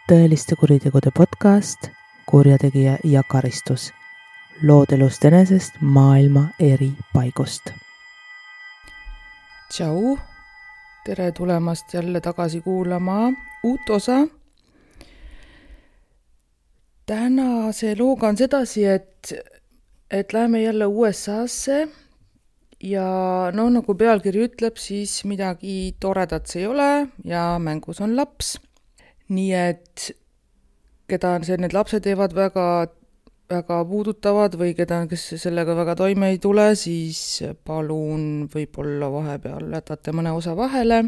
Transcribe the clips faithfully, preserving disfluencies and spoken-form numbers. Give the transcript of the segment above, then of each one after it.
tõeliste kuritegude podcast Kurjategija ja karistus. Lood elust enesest maailma eri paigust. Tšau, tere tulemast jälle tagasi kuulama uut osa. Tänase looga on sedasi, et, et läheme jälle U S A-sse ja no nagu pealkiri ütleb, siis midagi toredat see ei ole ja mängus on laps. Nii et keda see, need lapsed teevad väga, väga puudutavad või keda, kes sellega väga toime ei tule, siis palun võib-olla vahepeal jätate mõne osa vahele.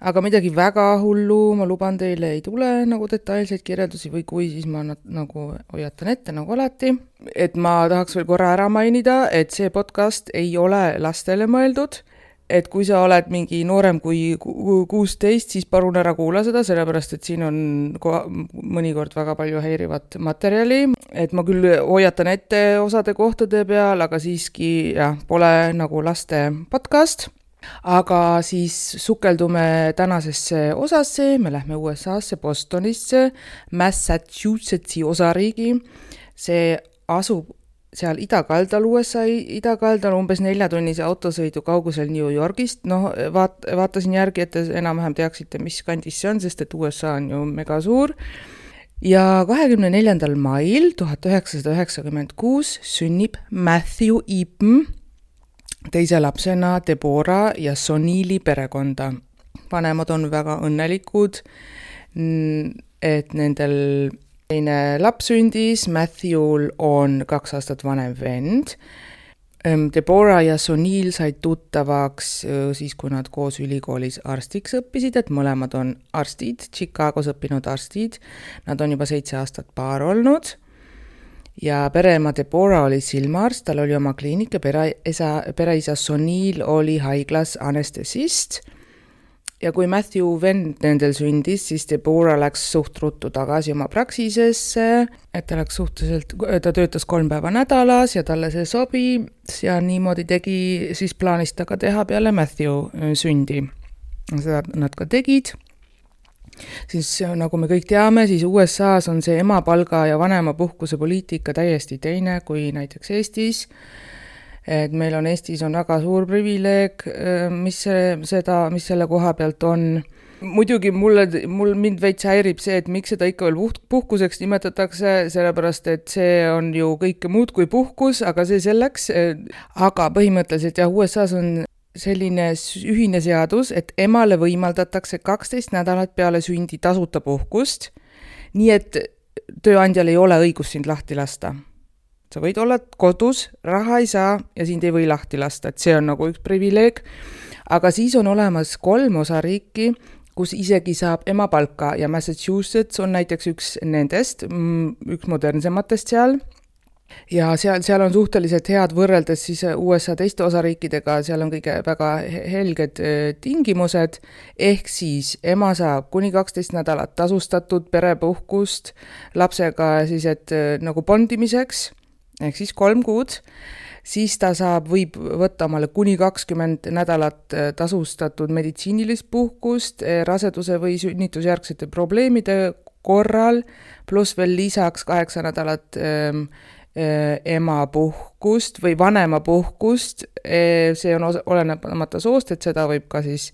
Aga midagi väga hullu, ma luban teile, ei tule nagu detailseid kirjeldusi või kui, siis ma nagu hoiatan ette nagu alati. Et ma tahaks veel korra ära mainida, et see podcast ei ole lastele mõeldud. Et kui sa oled mingi noorem kui kuusteist, siis palun ära kuula seda, sellepärast et siin on mõnikord väga palju häirivat materjali. Et ma küll hoiatan ette osade kohtade peal, aga siiski jah, pole nagu laste podcast. Aga siis sukeldume tänasesse osasse, me lähme U S A-sse, Bostonisse, Massachusettsi osariigi. See asub seal idakaldal, U S A idakaldal, umbes neljatunnise autosõidu kaugusel New Yorgist. No vaat, vaatasin järgi, et enam-vähem teaksite, mis kandis see on, sest et U S A on ju mega suur. Ja kahekümne neljandal mail tuhat üheksasada üheksakümmend kuus sünnib Matthew Eaton teise lapsena Deborah ja Sonili perekonda. Vanemad on väga õnnelikud, et nendel teine laps sündis, Matthew'l on kaks aastat vanem vend. Deborah ja Sonil said tuttavaks siis, kui nad koos ülikoolis arstiks õppisid, et mõlemad on arstid, Chicagos õppinud arstid. Nad on juba seitse aastat paar olnud. Ja pereema Deborah oli silmaarst, tal oli oma kliinik ja pereisa, pereisa Sonil oli haiglas anestesist. Ja kui Matthew vend nendel sündis, siis Deborah läks suht ruttu tagasi oma praksisesse, et ta läks suhteliselt, ta töötas kolm päeva nädalas ja talle see sobis ja niimoodi tegi, siis plaanis ta ka teha peale Matthew sündi. Seda nad ka tegid. Siis nagu me kõik teame, siis U S A-s on see emapalga ja vanema puhkuse poliitika täiesti teine kui näiteks Eestis. Et meil on Eestis on väga suur privileeg, mis, seda, mis selle koha pealt on. Muidugi mulle, mul mind veits häirib see, et miks seda ikka veel puhkuseks nimetatakse, sellepärast et see on ju kõike muud kui puhkus, aga see selleks. Aga põhimõtteliselt jah, U S A-s on selline ühine seadus, et emale võimaldatakse kaksteist nädalat peale sündi tasuta puhkust, nii et tööandjal ei ole õigus sind lahti lasta. Sa võid olla kodus, raha ei saa ja sind ei või lahti lasta, et see on nagu üks privileeg. Aga siis on olemas kolm osariiki, kus isegi saab emapalka ja Massachusetts on näiteks üks nendest, üks modernsematest seal. Ja seal, seal on suhteliselt head võrreldes siis U S A teiste osariikidega, seal on kõige väga helged tingimused, ehk siis ema saab kuni kaksteist nädalat tasustatud perepuhkust lapsega siis, et nagu bondimiseks, ehk siis kolm kuud, siis ta saab, võib võtta omale kuni kakskümmend nädalat tasustatud meditsiinilist puhkust raseduse või sünnitusjärgsete probleemide korral, pluss veel lisaks kaheksa nädalat ema puhkust või vanema puhkust, see on olenemata soost, et seda võib ka siis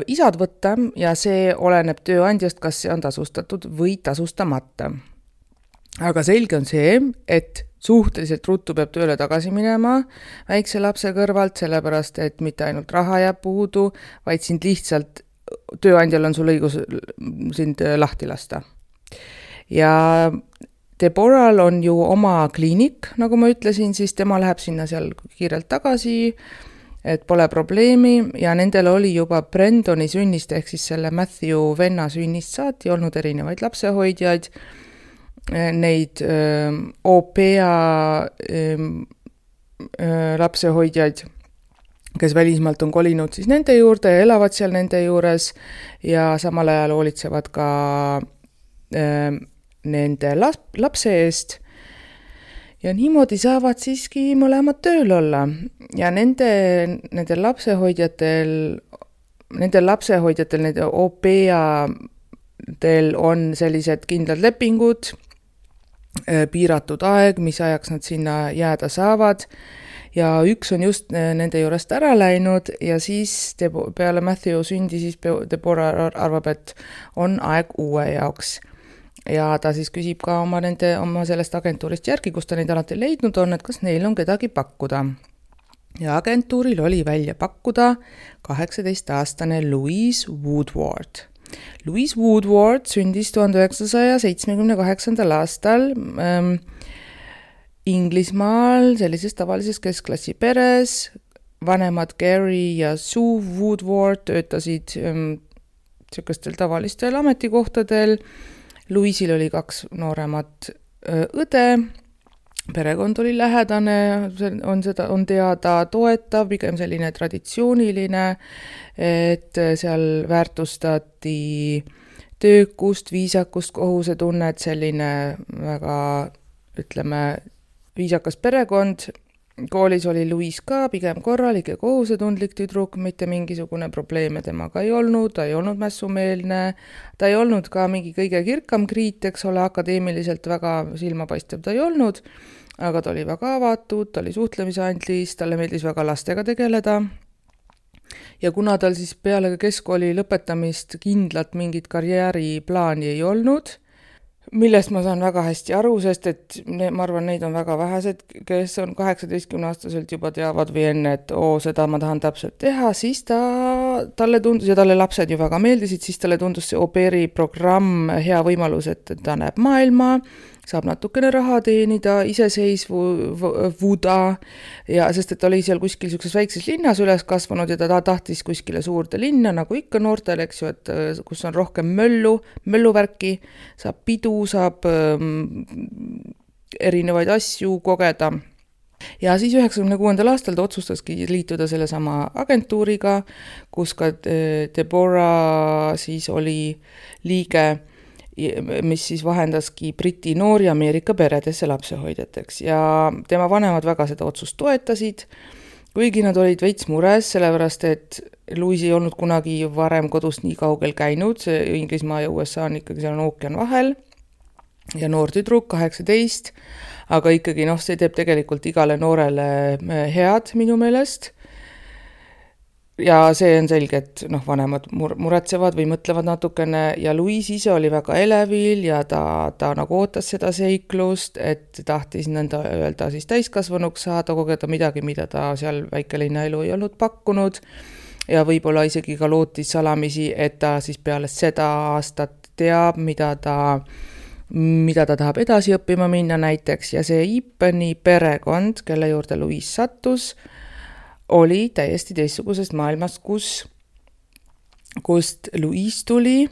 isad võtta ja see oleneb tööandjast, kas see on tasustatud või tasustamata. Aga selge on see, et suhteliselt ruttu peab tööle tagasi minema väikse lapse kõrvalt, sellepärast et mitte ainult raha jääb puudu, vaid sind lihtsalt, tööandjal on sul õigus sind lahti lasta. Ja Deborah'l on ju oma kliinik, nagu ma ütlesin, siis tema läheb sinna seal kiirelt tagasi, et pole probleemi ja nendel oli juba Brendoni sünnist ehk siis selle Matthew venna sünnist saati olnud erinevaid lapsehoidjaid, neid öö, O P A öö, lapsehoidjaid, kes välismaalt on kolinud siis nende juurde ja elavad seal nende juures ja samal ajal hoolitsevad ka öö, nende lapse eest ja niimoodi saavad siiski mõlemad tööl olla ja nende, nende lapsehoidjatel, nende lapsehoidjatel, nende O P A Teil on sellised kindlad lepingud, piiratud aeg, mis ajaks nad sinna jääda saavad ja üks on just nende juurest ära läinud ja siis peale Matthew sündi siis Deborah arvab, et on aeg uue jaoks. Ja ta siis küsib ka oma, nende, oma sellest agentuurist järgi, kus ta neid alati leidnud on, et kas neil on kedagi pakkuda. Ja agentuuril oli välja pakkuda kaheksateist-aastane Louise Woodward. Louise Woodward sündis tuhande üheksasaja seitsmekümne kaheksandal aastal ähm, Inglismaal sellises tavalises keskklassi peres. Vanemad Gary ja Sue Woodward töötasid ähm, sellistel tavalistel ametikohtadel. Louisil oli kaks nooremat õde, perekond oli lähedane, on, seda, on teada toetav, pigem selline traditsiooniline, et seal väärtustati töökust, viisakust, kohusetunnet, selline väga, ütleme, viisakas perekond. Koolis oli Louise ka pigem korralik ja kohusetundlik tüdruk, mitte mingisugune probleeme temaga ei olnud, ta ei olnud mässumeelne, ta ei olnud ka mingi kõige kirkam kriit, eks ole, akadeemiliselt väga silmapaistev ta ei olnud, aga ta oli väga avatud, ta oli suhtlemisandlis, talle meeldis väga lastega tegeleda. Ja kuna tal siis peale keskkooli lõpetamist kindlat mingit karjääriplaani ei olnud, millest ma saan väga hästi aru, sest et ne, ma arvan, neid on väga vähesed, kes on kaheksateistkümne aastaselt juba teavad või enne, et oo, seda ma tahan täpselt teha, siis ta, talle tundus, ja talle lapsed ju väga meeldisid, siis talle tundus see au pairi programm hea võimalus, et ta näeb maailma, saab natukene raha teenida, iseseisvu vuda, ja sest et ta oli seal kuskil sellises väikses linnas üles kasvanud ja ta tahtis kuskile suurde linna, nagu ikka noortel, eks ju, et kus on rohkem möllu, mölluvärki, saab pidu, saab ähm, erinevaid asju kogeda. Ja siis üheksakümne kuuendal aastal ta otsustaski liituda selle sama agentuuriga, kus ka Deborah siis oli liige, mis siis vahendaski Briti noori Ameerika peredesse lapsehoidjateks ja tema vanemad väga seda otsust toetasid, kuigi nad olid veits mures, sellepärast et Louise ei olnud kunagi varem kodust nii kaugel käinud, see Inglismaa ja U S A on ikkagi seal on ookean vahel ja noor tüdruk, kaheksateist, aga ikkagi noh, see teeb tegelikult igale noorele head minu meelest. Ja see on selge, et noh, vanemad mur- muretsevad või mõtlevad natukene ja Louise ise oli väga elevil ja ta, ta nagu ootas seda seiklust, et tahtis nõnda öelda siis täiskasvanuks saada, kogeda midagi, mida ta seal väikelinna elu ei olnud pakkunud ja võib-olla isegi ka lootis salamisi, et ta siis peale seda aastat teab, mida ta, mida ta tahab edasi õppima minna näiteks ja see Ipeni perekond, kelle juurde Louise sattus, oli täiesti teistsugusest maailmast, kus, kust Louise tuli.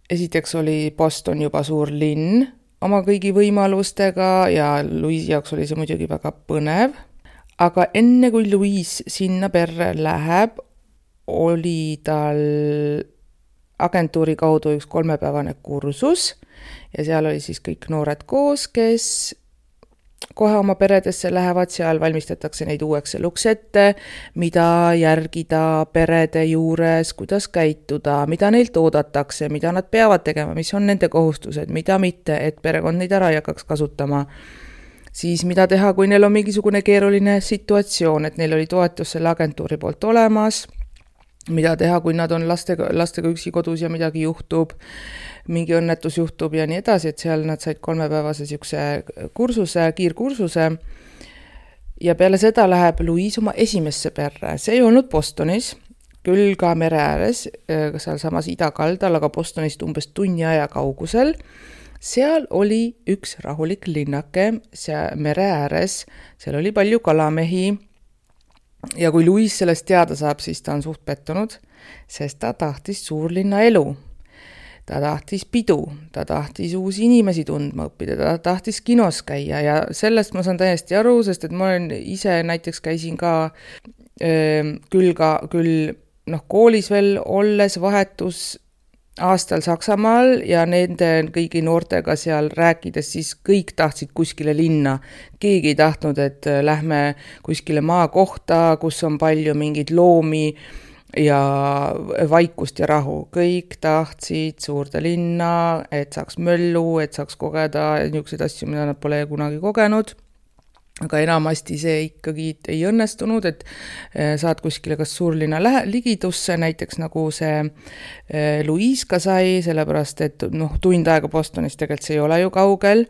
Esiteks oli Boston juba suur linn oma kõigi võimalustega ja Louise jaoks oli see muidugi väga põnev. Aga enne kui Louise sinna perre läheb, oli tal agentuuri kaudu üks kolmepäevane kursus ja seal oli siis kõik noored koos, kes kohe oma peredesse lähevad, seal valmistatakse neid uueks eluks ette, mida järgida perede juures, kuidas käituda, mida neilt oodatakse, mida nad peavad tegema, mis on nende kohustused, mida mitte, et perekond neid ära ei hakkaks kasutama. Siis mida teha, kui neil on mingisugune keeruline situatsioon, et neil oli toetus selle agentuuri poolt olemas, mida teha, kui nad on lastega, lastega üksi kodus ja midagi juhtub, mingi õnnetus juhtub ja nii edasi, et seal nad said kolmepäevase siukse kursuse, kiirkursuse ja peale seda läheb Louise oma esimesse perre. See ei olnud Bostonis, küll ka mere ääres, seal samas idakaldal, aga Bostonist umbes tunni aja kaugusel. Seal oli üks rahulik linnake, see mere ääres, seal oli palju kalamehi ja kui Louise sellest teada saab, siis ta on suht pettunud, sest ta tahtis suurlinna elu. Ta tahtis pidu, ta tahtis uusi inimesi tundma õppida, ta tahtis kinos käia ja sellest ma saan täiesti aru, sest et ma olen ise näiteks käisin ka öö, küll, ka, küll noh, koolis veel olles vahetus aastal Saksamaal ja nende kõigi noortega seal rääkides, siis kõik tahtsid kuskile linna. Keegi ei tahtnud, et lähme kuskile maakohta, kus on palju mingeid loomi, ja vaikust ja rahu. Kõik tahtsid suurde linna, et saaks möllu, et saaks kogeda niisuguseid asju, mida nad pole kunagi kogenud. Aga enamasti see ikkagi ei õnnestunud, et saad kuskile kas suurlinna lähe, ligidusse, näiteks nagu see Louise ka sai, sellepärast et noh, tund aega Bostonis tegelikult see ei ole ju kaugel.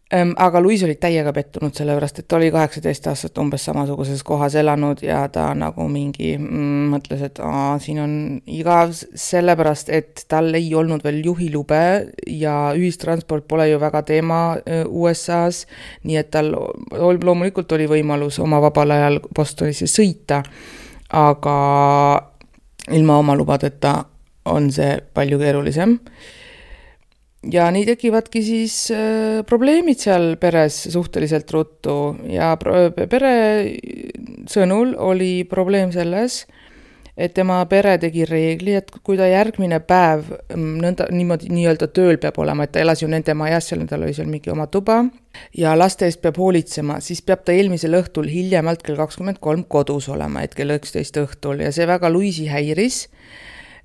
Aga Louise oli täiega pettunud sellepärast, et ta oli kaheksateist aastat umbes samasuguses kohas elanud ja ta nagu mingi mm, mõtles, et aa, siin on igav sellepärast, et tal ei olnud veel juhilube ja ühistransport pole ju väga teema U S A-s, nii et tal loomulikult oli võimalus oma vabal ajal Bostonisse sõita, aga ilma oma lubadeta on see palju keerulisem. Ja nii tekivadki siis äh, probleemid seal peres suhteliselt ruttu ja pere sõnul oli probleem selles, et tema pere tegi reegli, et kui ta järgmine päev nõnda, niimoodi nii-öelda tööl peab olema, et ta elas ju nende majas, seal tal oli seal mingi oma tuba ja laste eest peab hoolitsema, siis peab ta eelmisel õhtul hiljemalt kell kakskümmend kolm kodus olema, et kell üksteist õhtul ja see väga Louise'i häiris,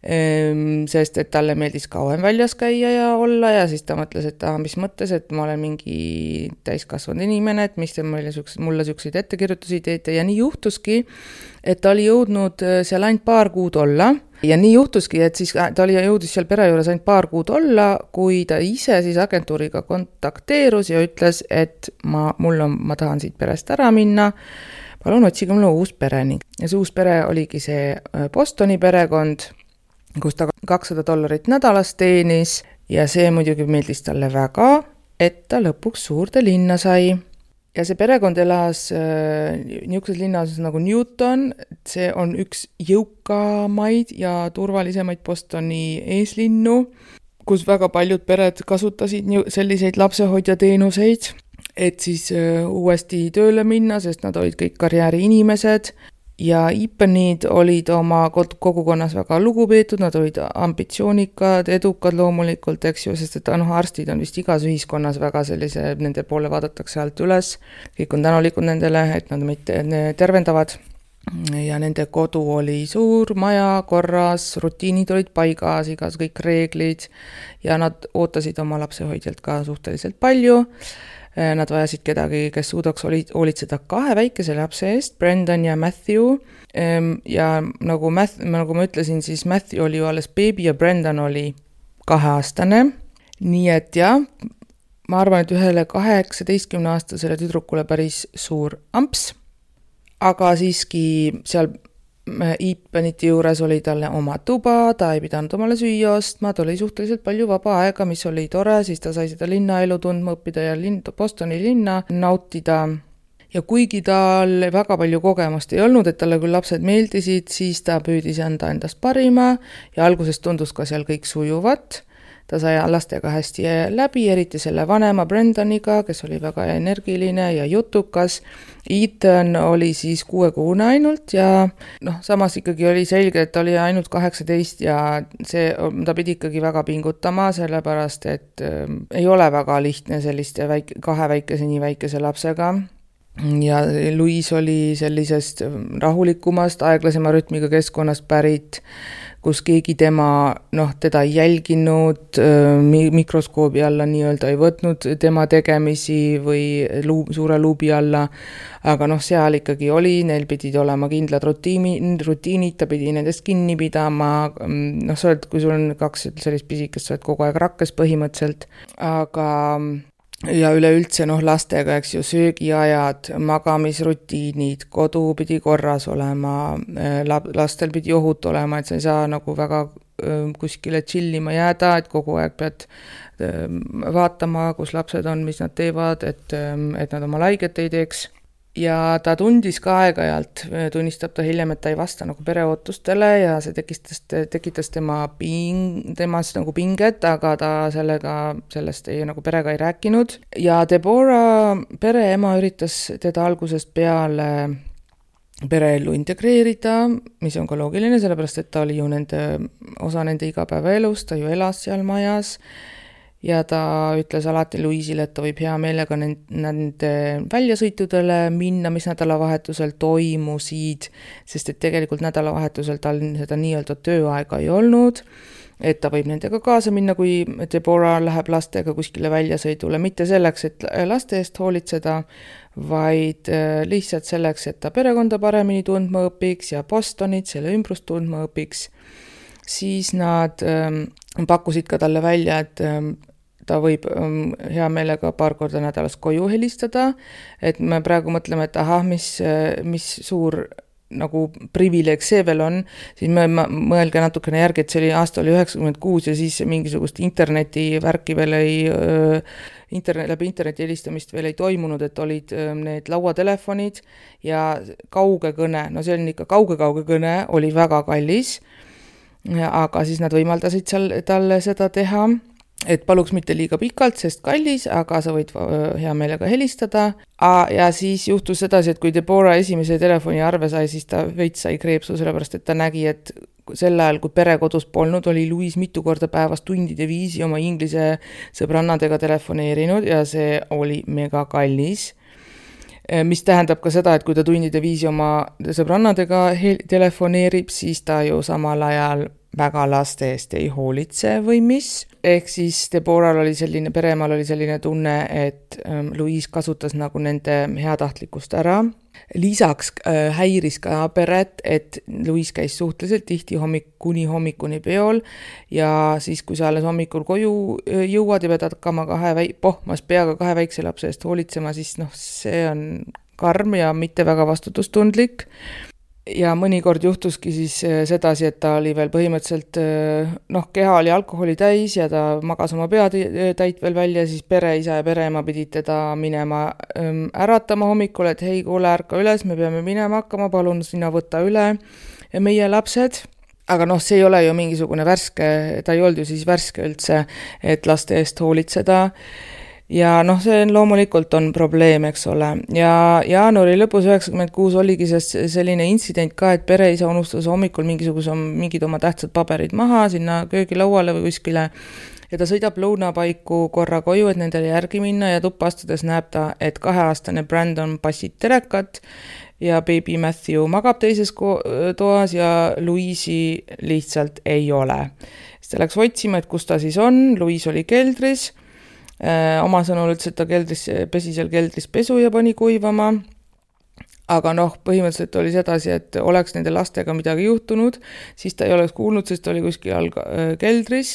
sest et talle meeldis kauem väljas käia ja olla ja siis ta mõtles, et ah, mis mõttes, et ma olen mingi täiskasvanud inimene, et mis te mulle sükseid ettekirjutusi teete ja nii juhtuski, et ta oli jõudnud seal ainult paar kuud olla ja nii juhtuski, et siis ta oli jõudis seal pere juures ainult paar kuud olla, kui ta ise siis agentuuriga kontakteerus ja ütles, et ma, mul on, ma tahan siit perest ära minna, palun otsige mulle uus pere ning ja see uus pere oligi see Bostoni perekond, kus ta kakssada dollarit nädalas teenis ja see muidugi meeldis talle väga, et ta lõpuks suurde linna sai. Ja see perekond elas äh, niisuguses linnas nagu Newton, see on üks jõukamaid ja turvalisemaid Bostoni eeslinnu, kus väga paljud pered kasutasid selliseid lapsehoidja teenuseid, et siis äh, uuesti tööle minna, sest nad olid kõik karjääri inimesed. Ja Ipenid olid oma kogukonnas väga lugupeetud, nad olid ambitsioonikad, edukad loomulikult, eks ju, sest et noh, arstid on vist igas ühiskonnas väga sellise, nende poole vaadatakse alt üles, kõik on tänulikud nendele, et nad meid tervendavad ja nende kodu oli suur, maja, korras, rutiinid olid paigas, igas kõik reeglid ja nad ootasid oma lapsehoidjalt ka suhteliselt palju. Nad vajasid kedagi, kes suudaks hoolitseda kahe väikese lapse eest, Brendan ja Matthew. Ja nagu, Matthew, nagu ma ütlesin, siis Matthew oli ju alles beebi ja Brendan oli kaheaastane. Nii et jah, ma arvan, et ühele kaheksateistkümne aastasele tüdrukule päris suur amps. Aga siiski seal Ipeniti juures oli talle oma tuba, ta ei pidanud omale süüa ostma, ta oli suhteliselt palju vaba aega, mis oli tore, siis ta sai seda linnaelu tundma õppida ja linn, Bostoni linna nautida. Ja kuigi tal väga palju kogemust ei olnud, et talle küll lapsed meeldisid, siis ta püüdis anda endast parima ja alguses tundus ka seal kõik sujuvat. Ta sai lastega hästi läbi, eriti selle vanema Brendaniga, kes oli väga energiline ja jutukas. Ethan oli siis kuuekuune ainult ja noh, samas ikkagi oli selge, et ta oli ainult kaheksateist ja see, ta pidi ikkagi väga pingutama, sellepärast et äh, ei ole väga lihtne selliste väike, kahe väikese nii väikese lapsega. Ja Louise oli sellisest rahulikumast, aeglasema rütmiga keskkonnast pärit, kus keegi tema, noh, teda ei jälginud, mikroskoobi alla nii-öelda ei võtnud tema tegemisi või luub, suure luubi alla, aga noh, seal ikkagi oli, neil pidid olema kindlad rutiini, rutiinid, ta pidi nendest kinni pidama, noh, sa oled, kui sul on kaks sellist pisikest, sa oled kogu aeg rakkes põhimõtteliselt, aga ja üleüldse noh, lastega, eks ju, söögiajad, magamisrutiinid, kodu pidi korras olema, lastel pidi ohut olema, et sa ei saa nagu väga kuskile chillima jääda, et kogu aeg pead vaatama, kus lapsed on, mis nad teevad, et, et nad oma laiget ei teeks. Ja ta tundis ka aeg-ajalt, tunnistab ta hiljem, et ta ei vasta nagu pereootustele ja see tekitas, tekitas tema ping, temas nagu pinget, aga ta sellega, sellest ei, nagu perega ei rääkinud. Ja Deborah pereema üritas teda algusest peale pereellu integreerida, mis on ka loogiline, sellepärast et ta oli ju nende, osa nende igapäevaelust, ta ju elas seal majas. ja ta ütles alati Louise'ile, et ta võib hea meelega nende väljasõitudele minna, mis nädalavahetusel toimusid, sest et tegelikult nädalavahetusel tal seda nii-öelda tööaega ei olnud, et ta võib nendega kaasa minna, kui Deborah läheb lastega kuskile väljasõidule, mitte selleks, et laste eest hoolitseda, vaid lihtsalt selleks, et ta perekonda paremini tundma õpiks ja Bostonit, selle ümbrust tundma õpiks. Siis nad ähm, pakkusid ka talle välja, et ähm, ta võib ähm, hea meelega paar korda nädalas koju helistada, et me praegu mõtleme, et ahah, mis, mis suur nagu privileeg see veel on, siis me mõelge natukene järgi, et see oli aasta oli üheksakümmend kuus ja siis mingisugust interneti värki veel ei, internet, läbi interneti helistamist veel ei toimunud, et olid need lauatelefonid ja kauge kõne, no see on ikka kauge-kauge kõne, oli väga kallis, aga siis nad võimaldasid seal talle seda teha, et paluks mitte liiga pikalt, sest kallis, aga sa võid hea meelega helistada. Ja siis juhtus sedasi, et kui Deborah esimese telefoni arve sai, siis ta veits sai kreepsu, sellepärast et ta nägi, et sel ajal, kui pere kodus polnud, oli Louise mitu korda päevas tundide viisi oma inglise sõbrannadega telefoneerinud ja see oli mega kallis. Mis tähendab ka seda, et kui ta tundide viisi oma sõbrannadega telefoneerib, siis ta ju samal ajal väga laste eest ei hoolitse või mis. Ehk siis Deborah oli selline, peremaal oli selline tunne, et Louise kasutas nagu nende heatahtlikkust ära. Lisaks häiris ka peret, et Louise käis suhteliselt tihti hommik, kuni hommikuni peol ja siis, kui sa alles hommikul koju jõuad ja pead hakkama kahe väi- pohmas peaga kahe väikse lapse eest hoolitsema, siis noh, see on karm ja mitte väga vastutustundlik. Ja mõnikord juhtuski siis sedasi, et ta oli veel põhimõtteliselt, noh, keha oli alkoholi täis ja ta magas oma peatäit veel välja, siis pere, isa ja pereema pidid teda minema äratama hommikul, et hei, kuule, ärka üles, me peame minema hakkama, palun sina võtta üle meie lapsed. Aga noh, see ei ole ju mingisugune värske, ta ei olnud ju siis värske üldse, et laste eest hoolitseda. Ja noh, see on, loomulikult on probleem, eks ole. Ja jaanuari lõpus üheksakümmend kuus oligi selline intsident ka, et pereisa unustas hommikul mingisuguse mingid oma tähtsad paberid maha sinna köögilauale või kuskile ja ta sõidab lõunapaiku korra koju, et nendele järgi minna ja tuppa astudes näeb ta, et kaheaastane Brandon passid telekat ja baby Matthew magab teises toas ja Louise'i lihtsalt ei ole. Siis ta läks otsima, et kus ta siis on, Louise oli keldris. Oma sõnul ütles, et ta keldris, pesi seal keldris pesu ja pani kuivama, aga noh, põhimõtteliselt oli sedasi, et oleks nende lastega midagi juhtunud, siis ta ei oleks kuulnud, sest ta oli kuskil all keldris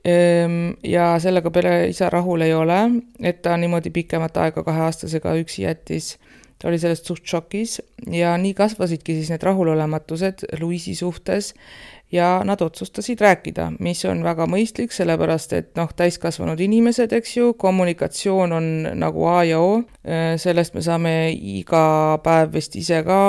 ja sellega pere isa rahul ei ole, et ta niimoodi pikemat aega kaheaastasega üksi jättis. Ta oli sellest suht šokis ja nii kasvasidki siis need rahulolematused Louise'i suhtes ja nad otsustasid rääkida, mis on väga mõistlik, sellepärast et noh, täiskasvanud inimesed, eks ju, kommunikatsioon on nagu A ja O, sellest me saame iga päev vist ise ka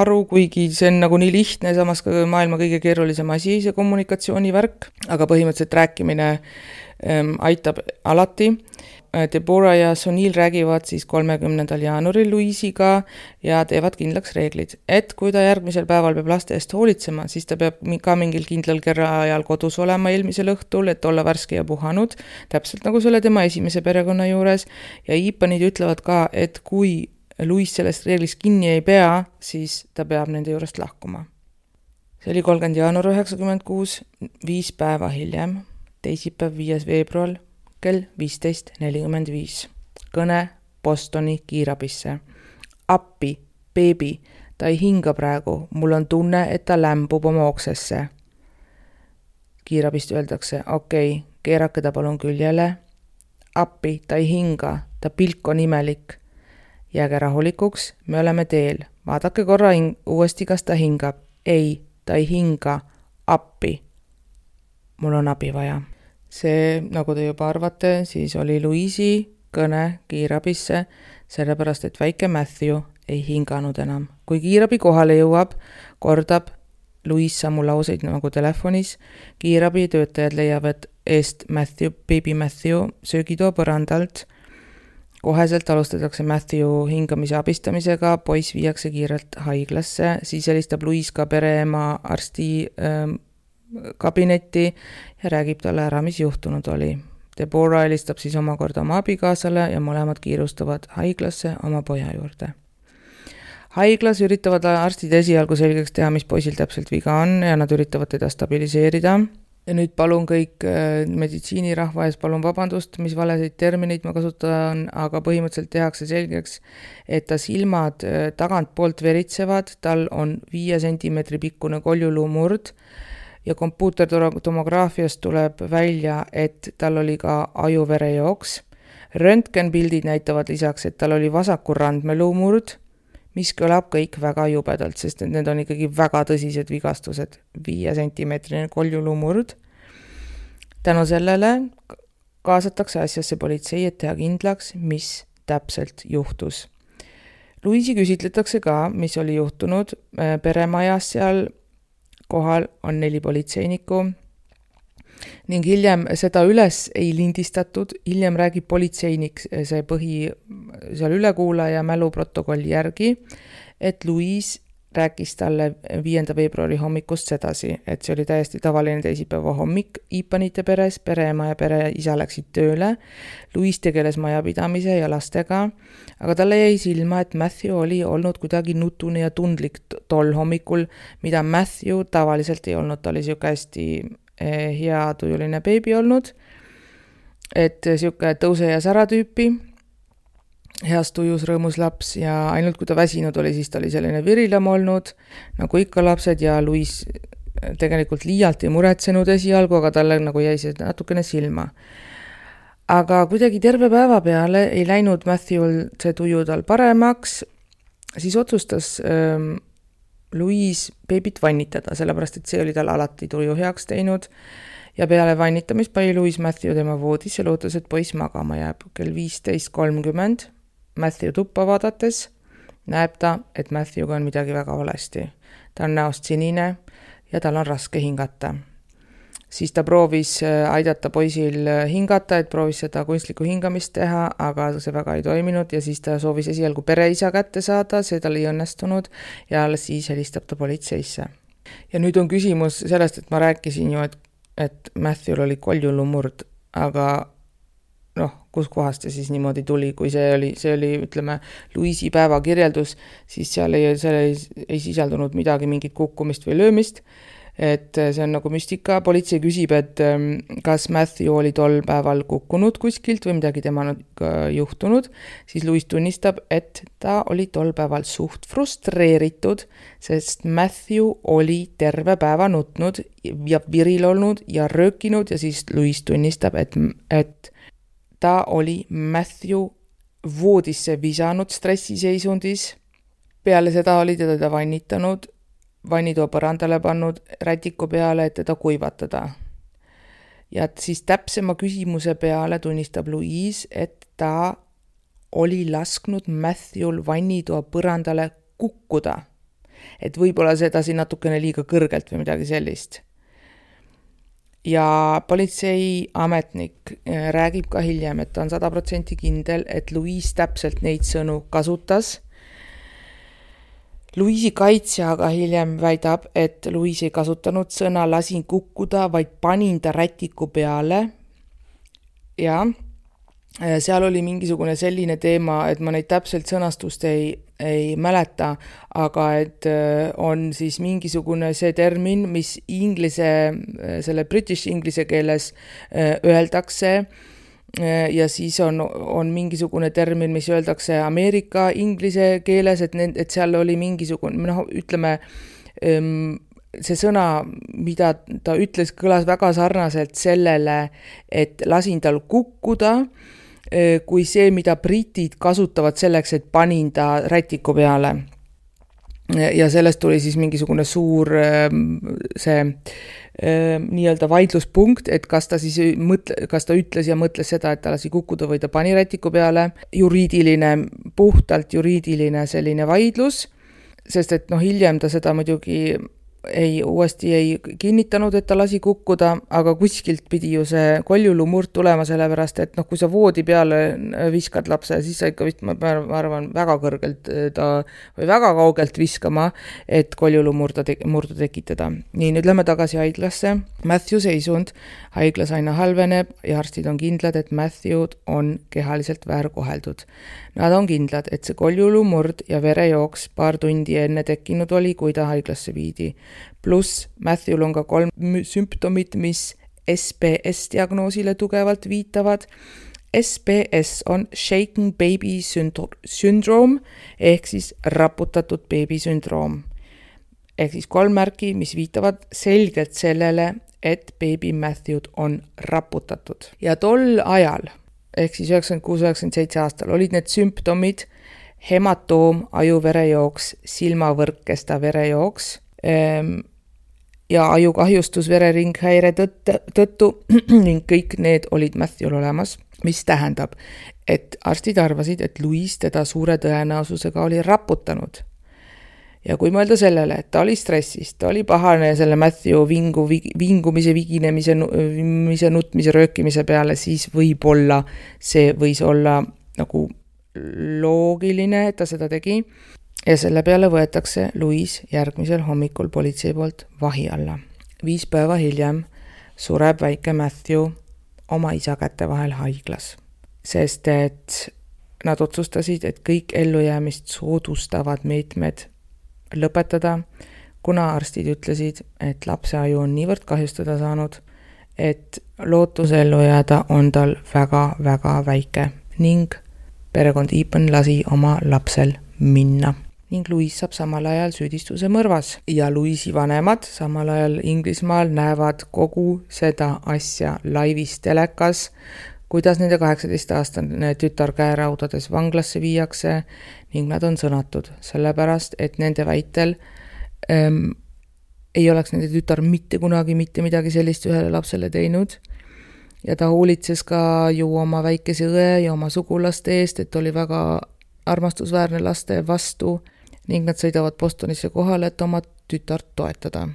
aru, kuigi see on nagu nii lihtne, samas ka maailma kõige keerulisem asi, see kommunikatsioonivärk, aga põhimõtteliselt rääkimine ähm, aitab alati. Deborah ja Sonil räägivad siis kolmekümnendal jaanuaril Louise'iga ja teevad kindlaks reeglid, et kui ta järgmisel päeval peab laste eest hoolitsema, siis ta peab ka mingil kindlal kerraajal kodus olema eelmisel õhtul, et olla värske ja puhanud, täpselt nagu selle tema esimese perekonna juures ja Iipanid ütlevad ka, et kui Louise sellest reeglist kinni ei pea, siis ta peab nende juurest lahkuma. See oli kolmkümmend jaanuar üheksakümmend kuus, viis päeva hiljem, teisipäev viies veebruar, kell viisteist nelikümmend viis. Kõne Bostoni kiirabisse. Appi, beebi, ta ei hinga praegu, mul on tunne, et ta lämbub oma oksesse. Kiirabist öeldakse, okei, okay, keerake ta palun küljele. Appi, ta ei hinga, ta pilk on imelik. Jääge rahulikuks, me oleme teel. Vaadake korra hing- uuesti, kas ta hingab. Ei, ta ei hinga. Appi. Mul on abi vaja. See, nagu te juba arvate, siis oli Louise'i kõne kiirabisse, sellepärast, et väike Matthew ei hinganud enam. Kui kiirabi kohale jõuab, kordab Louise samu lauseid nagu telefonis. Kiirabi töötajad leiavad eest Matthew, baby Matthew söögitoa põrandalt. Koheselt alustatakse Matthew hingamise abistamisega, poiss viiakse kiirelt haiglasse, siis helistab Louise ka pereema arsti ähm, kabinetti ja räägib talle ära, mis juhtunud oli. Deborah helistab siis omakorda oma abikaasale ja mõlemad kiirustavad haiglasse oma poja juurde. Haiglas üritavad arstid esialgu selgeks teha, mis poisil täpselt viga on ja nad üritavad teda stabiliseerida. Ja nüüd palun kõik meditsiinirahva ees, palun vabandust, mis valesid termineid ma kasutan, aga põhimõtteliselt tehakse selgeks, et ta silmad tagant poolt veritsevad, tal on viie sentimeetri pikkune koljuluumurd ja kompuutertomograafiast tuleb välja, et tal oli ka ajuverejooks. Röntgenpildid näitavad lisaks, et tal oli vasaku randmeluumurd, mis kõlab kõik väga jubedalt, sest need on ikkagi väga tõsised vigastused, viie sentimeetrine koljuluumurd. Tänu sellele kaasatakse asjasse politsei, et teha kindlaks, mis täpselt juhtus. Louise'i küsitletakse ka, mis oli juhtunud peremajas seal kohal on neli politseinikku ning hiljem seda üles ei lindistatud, hiljem räägib politseinik see põhi seal ülekuulaja mäluprotokolli järgi, et Louise rääkis talle viienda veebruari hommikust sedasi, et see oli täiesti tavaline teisipäeva hommik Ipanite peres, pereema ja pereisa läksid tööle, Louise tegeles majapidamise ja lastega, aga talle jäi silma, et Matthew oli olnud kuidagi nutune ja tundlik tol hommikul, mida Matthew tavaliselt ei olnud, ta oli siuke hästi hea tujuline beebi olnud, et siuke tõuse ja sära tüüpi, heas tujus rõõmus laps ja ainult kui ta väsinud oli, siis ta oli selline virilam olnud, nagu ikka lapsed ja Louise tegelikult liialt ei muretsenud esialgu, aga talle nagu jäi see natukene silma. Aga kuidagi terve päeva peale ei läinud Matthew'l see tuju tal paremaks, siis otsustas ähm, Louise beebit vannitada, sellepärast, et see oli tal alati tuju heaks teinud ja peale vannitamist pani Louise Matthew tema voodis ja lootus, et poiss magama jääb. Kell viisteist kolmkümmend Matthew tuppa vaadates näeb ta, et Matthew'ga on midagi väga valesti. Ta on näost sinine ja tal on raske hingata. Siis ta proovis aidata poisil hingata, et proovis seda kunstlikku hingamist teha, aga see väga ei toiminud ja siis ta soovis esialgu pereisa kätte saada, see tal ei õnnestunud ja alles siis helistab ta politseisse. Ja nüüd on küsimus sellest, et ma rääkisin ju, et, et Matthew'l oli koljuluumurd, aga noh, kus kohast see siis niimoodi tuli, kui see oli, see oli ütleme, Louise'i päeva kirjeldus, siis seal ei, seal ei, ei sisaldunud midagi, mingit kukkumist või löömist, et see on nagu müstika. Politsei küsib, et kas Matthew oli tol päeval kukkunud kuskilt või midagi tema juhtunud, siis Louise tunnistab, et ta oli tol päeval suht frustreeritud, sest Matthew oli terve päeva nutnud ja viril olnud ja röökinud ja siis Louise tunnistab, et, et ta oli Matthew voodisse visanud stressiseisundis. Peale seda oli teda vannitanud, vannitoa põrandale pannud rätiku peale, et teda kuivatada. Ja siis täpsema küsimuse peale tunnistab Louise, et ta oli lasknud Matthew'l vannitoa põrandale kukkuda. Et võib-olla sedasi natukene liiga kõrgelt või midagi sellist. Ja politsei ametnik räägib ka hiljem, et ta on sada protsenti kindel, et Louise täpselt neid sõnu kasutas. Louise'i kaitsja aga hiljem väidab, et Louise ei kasutanud sõna lasin kukkuda, vaid panin ta rätiku peale. Ja seal oli mingisugune selline teema, et ma neid täpselt sõnastust ei, ei mäleta, aga et on siis mingisugune see termin, mis inglise, selle british inglise keeles öeldakse ja siis on, on mingisugune termin, mis öeldakse Ameerika inglise keeles, et, need, et seal oli mingisugune, noh, ütleme, see sõna, mida ta ütles, kõlas väga sarnaselt sellele, et lasin tal kukkuda, kui see, mida britid kasutavad selleks, et panin ta rätiku peale. Ja sellest tuli siis mingisugune suur see nii-öelda vaidluspunkt, et kas ta siis mõtle, kas ta ütles ja mõtles seda, et ta lasi kukkuda või ta pani rätiku peale. Juriidiline, puhtalt juriidiline selline vaidlus, sest et noh, hiljem ta seda muidugi ei, uuesti ei kinnitanud, et ta lasi kukkuda, aga kuskilt pidi ju see koljulumurd tulema sellepärast, et noh, kui sa voodi peale viskad lapse, siis sa ikka vist, ma arvan, väga kõrgelt ta või väga kaugelt viskama, et koljulumurda te, murdu tekitada. Nii, nüüd lähme tagasi haiglasse. Matthew seisund haiglas aina halveneb ja arstid on kindlad, et Matthew on kehaliselt väärkoheldud. Nad on kindlad, et see koljulumurd ja verejooks paar tundi enne tekkinud oli, kui ta haiglasse viidi. Pluss Matthew on ka kolm sümptomid, mis S B S-diagnoosile tugevalt viitavad. S B S on Shaken Baby Syndrome ehk siis raputatud beebi sündroom. Ehk siis kolm märki, mis viitavad selgelt sellele, et beebi Matthew on raputatud. Ja tol ajal, ehk siis üheksakümmend kuus üheksakümmend seitse aastal, olid need sümptomid hematoom, ajuverejooks, silmavõrkkesta verejooks ja ajukahjustus vereringhäire tõttu ning kõik need olid Matthew'l olemas, mis tähendab, et arstid arvasid, et Louise teda suure tõenäosusega oli raputanud. Ja kui mõelda sellele, et ta oli stressis, ta oli pahane selle Matthew vingu, vingumise, viginemise, nutmise, röökimise peale, siis võib-olla see võis olla nagu loogiline, et ta seda tegi. Ja selle peale võetakse Louise järgmisel hommikul politsei poolt vahi alla. Viis päeva hiljem sureb väike Matthew oma isa käte vahel haiglas, sest et nad otsustasid, et kõik ellujäämist soodustavad meetmed lõpetada, kuna arstid ütlesid, et lapse aju on niivõrd kahjustada saanud, et lootus ellu jääda on tal väga-väga väike ning perekond Eapen lasi oma lapsel minna. Ning Louise saab samal ajal süüdistuse mõrvas ja Louise'i vanemad samal ajal Inglismaal näevad kogu seda asja laivis telekas, kuidas nende kaheksateist-aastane tütar käeraudades vanglasse viiakse ning nad on sõnatud, sellepärast, et nende väitel ähm, ei oleks nende tütar mitte kunagi mitte midagi sellist ühele lapsele teinud ja ta hoolitses ka ju oma väikese õe ja oma sugulaste eest, et oli väga armastusväärne laste vastu ning nad sõidavad Bostonisse kohale, et oma tütart toetada.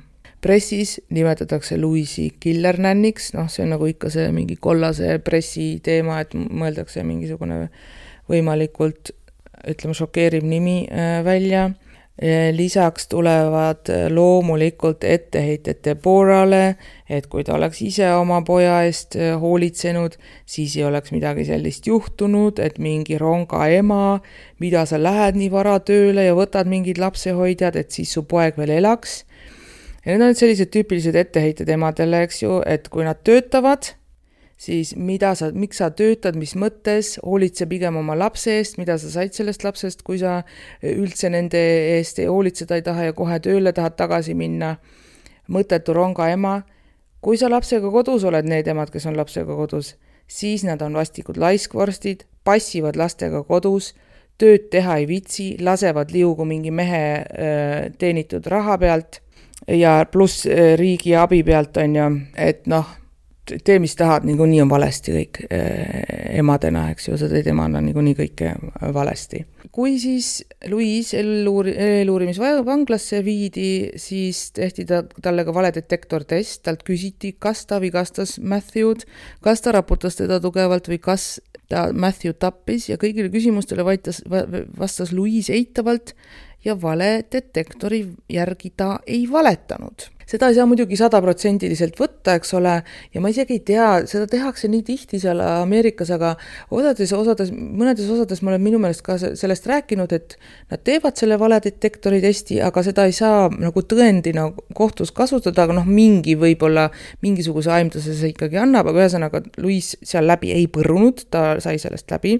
Pressis nimetatakse Louise'i killernänniks, noh see on nagu ikka see mingi kollase pressi teema, et mõeldakse mingisugune võimalikult, ütleme, šokeeriv nimi välja. Lisaks tulevad loomulikult etteheited Deborale, et kui ta oleks ise oma poja eest hoolitsenud, siis ei oleks midagi sellist juhtunud, et mingi ronga ema, mida sa lähed nii vara tööle ja võtad mingid lapsehoidjad, et siis su poeg veel elaks. Ja need on sellised tüüpilised etteheited emadele, eks ju, et kui nad töötavad, siis mida sa, miks sa töötad, mis mõttes, hoolitse pigem oma lapse eest, mida sa said sellest lapsest, kui sa üldse nende eest ei hoolitseda ei taha ja kohe tööle tahad tagasi minna. Mõttetu ronga ema. Kui sa lapsega kodus oled, need emad, kes on lapsega kodus, siis nad on vastikud laiskvorstid, passivad lastega kodus, tööd teha ei vitsi, lasevad liugu mingi mehe äh, teenitud raha pealt ja pluss riigi abi pealt on ju, et noh, tee mis tahad, nii, nii on valesti kõik emadena, eks ju, sa teed emana nii, nii kõike valesti. Kui siis Louise eluurimisvanglasse viidi, siis tehti ta, talle ka valedetektortest, talt küsiti, kas ta vigastas Matthew'd, kas ta raputas teda tugevalt või kas ta Matthew tappis ja kõigile küsimustele vaitas, vastas Louise eitavalt ja valedetektori järgi ta ei valetanud. Seda ei saa muidugi sadaprotsendiliselt võtta, eks ole, ja ma isegi ei tea, seda tehakse nii tihti seal Ameerikas, aga osades, osades, mõnedes osades ma olen minu meelest ka sellest rääkinud, et nad teevad selle valedetektori testi, aga seda ei saa nagu tõendina kohtus kasutada, aga noh, mingi võib-olla mingisuguse aimduse see ikkagi annab, aga ühesõnaga Louise seal läbi ei põrunud, ta sai sellest läbi,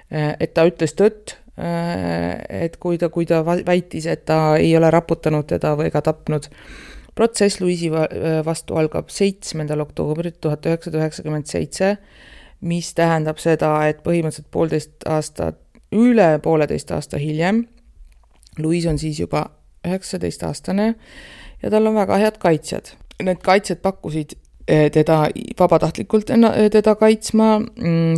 et ta ütles tõtt, et kui ta, kui ta väitis, et ta ei ole raputanud teda või ka tapnud. Protsess Louise'i vastu algab seitsmendal oktoobril tuhat üheksasada üheksakümmend seitse, mis tähendab seda, et põhimõtteliselt poolteist aastat, üle pooleteist aasta hiljem. Louise on siis juba üheksateist aastane ja tal on väga head kaitsjad. Need kaitsjad pakkusid teda vabatahtlikult teda kaitsma,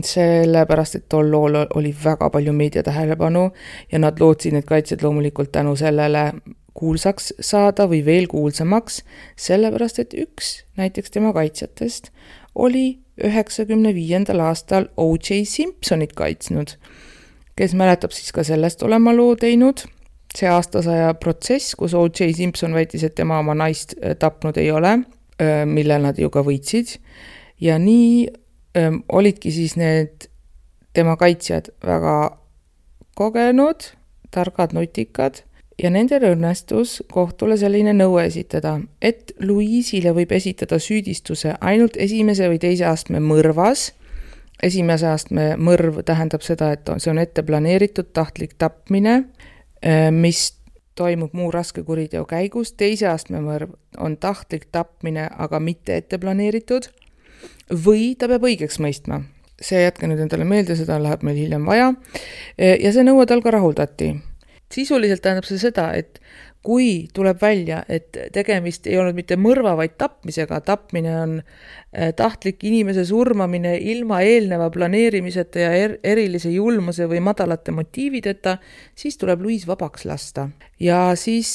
sellepärast, et tol lool oli väga palju meedia tähelepanu ja nad lootsid need kaitsjad loomulikult tänu sellele, kuulsaks saada või veel kuulsamaks, sellepärast et üks näiteks tema kaitsjatest oli üheksakümne viiendal aastal O J Simpsonit kaitsnud, kes mäletab siis ka sellest olema loo teinud. See aastasaja protsess, kus O J Simpson väitis, et tema oma naist tapnud ei ole, mille nad ju ka võitsid. Ja nii öö, olidki siis need tema kaitsjad väga kogenud, targad, nutikad ja nendel õnnestus kohtule selline nõue esitada, et Louise'ile võib esitada süüdistuse ainult esimese või teise astme mõrvas. Esimese astme mõrv tähendab seda, et see on ette planeeritud tahtlik tapmine, mis toimub muu raske kuriteo käigus. Teise astme mõrv on tahtlik tapmine, aga mitte ette planeeritud. Või ta peab õigeks mõistma. See jätke nüüd endale meelde, seda läheb meil hiljem vaja. Ja see nõue tal ka rahuldati. Sisuliselt tähendab see seda, et kui tuleb välja, et tegemist ei olnud mitte mõrva, vaid tapmisega, tapmine on tahtlik inimese surmamine ilma eelneva planeerimiseta ja er- erilise julmuse või madalate motiivideta, siis tuleb Louise vabaks lasta. Ja siis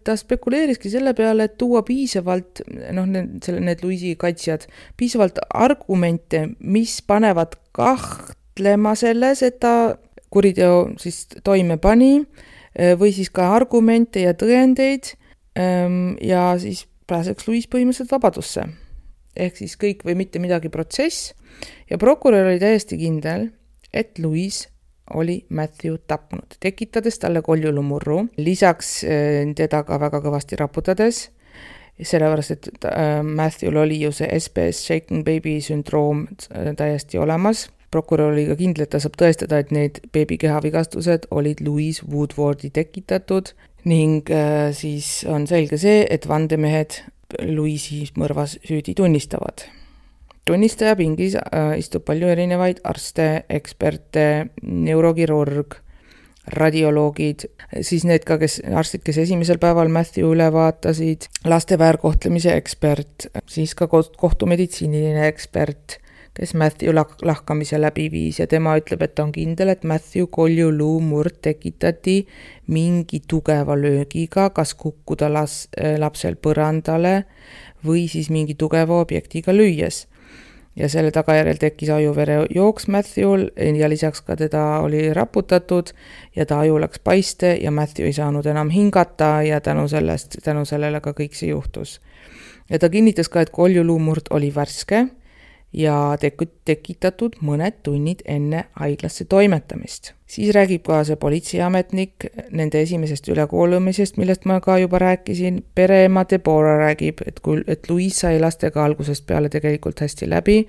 ta spekuleeriski selle peale, et tuua piisavalt, noh, need, need Louise'i kaitsjad, piisavalt argumente, mis panevad kahtlema selles, et ta kuriteo siis toime pani, või siis ka argumente ja tõendeid ja siis pääseks Louise põhimõtteliselt vabadusse. Ehk siis kõik või mitte midagi protsess ja prokurör oli täiesti kindel, et Louise oli Matthew tapnud, tekitades talle koljulumurru, lisaks teda ka väga kõvasti raputades, sellepärast, et Matthew'l oli ju see S B S Shaken Baby sündroom täiesti olemas. Prokurör oli ka kindel, et ta saab tõestada, et need beebi kehavigastused olid Louise Woodwardi tekitatud ning äh, siis on selge see, et vandemehed Louise'i mõrvas süüdi tunnistavad. Tunnistaja pingis äh, istub palju erinevaid arste, eksperte, neurokirurg, radioloogid, siis need ka, kes, arstid, kes esimesel päeval Matthew üle vaatasid, laste väärkohtlemise ekspert, siis ka kohtumeditsiiniline ekspert, kes Matthew lahkamise läbi viis ja tema ütleb, et ta on kindel, et Matthew koljuluu murd tekitati mingi tugeva löögiga, kas kukkuda las, lapsel põrandale või siis mingi tugeva objektiga lüües. Ja selle tagajärjel tekkis ajuvere jooks Matthew'l ja lisaks ka teda oli raputatud ja ta aju läks paiste ja Matthew ei saanud enam hingata ja tänu, sellest, tänu sellele ka kõik see juhtus. Ja ta kinnitas ka, et koljuluu murd oli värske ja tekitatud mõned tunnid enne haiglasse toimetamist. Siis räägib ka see politseiametnik nende esimesest ülekoolumisest, millest ma ka juba rääkisin. Pereema Deborah räägib, et, kui, et Louise sai lastega algusest peale tegelikult hästi läbi,